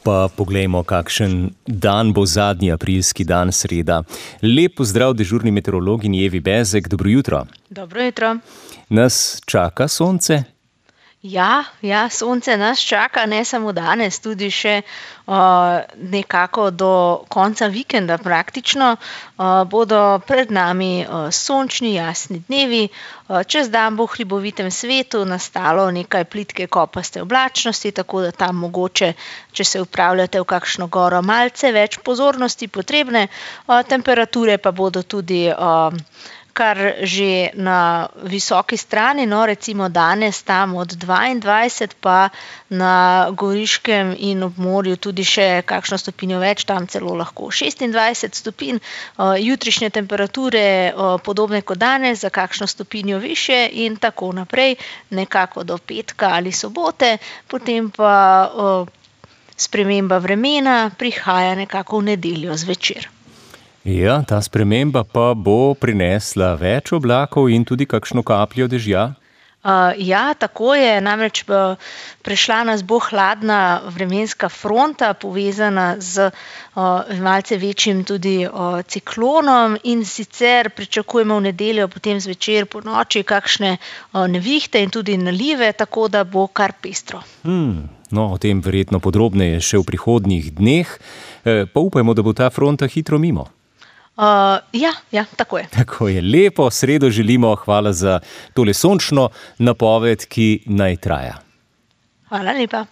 Pa poglejmo, kakšen dan bo zadnji aprilski dan, sreda. Lep pozdrav dežurni meteorologinji Evi Bezek, dobro jutro. Dobro jutro. Nas čaka sonce? Ja, sonce nas čaka, ne samo danes, tudi še nekako do konca vikenda praktično. Bodo pred nami sončni, jasni dnevi. Čez dan bo v hribovitem svetu nastalo nekaj plitke kopaste oblačnosti, tako da tam mogoče, če se upravljate v kakšno goro, malce več pozornosti potrebne. Temperature pa bodo tudi kar že na visoki strani, recimo danes tam od 22, pa na Goriškem in ob morju tudi še kakšno stopinjo več, tam celo lahko 26 stopinj. Jutrišnje temperature podobne kot danes, za kakšno stopinjo višje in tako naprej, nekako do petka ali sobote, potem pa sprememba vremena prihaja nekako v nedeljo zvečer. Ja, ta sprememba pa bo prinesla več oblakov in tudi kakšno kapljo dežja? Ja, tako je, namreč prešla nas bo hladna vremenska fronta, povezana z malce večjim tudi ciklonom, in sicer pričakujemo v nedeljo potem zvečer po noči kakšne nevihte in tudi nalive, tako da bo kar pestro. No, o tem verjetno podrobneje še v prihodnjih dneh. Pa upajmo, da bo ta fronta hitro mimo. Ja, tako je. Tako je, lepo sredo želimo, hvala za tole sončno napoved, ki naj traja. Hvala lepa.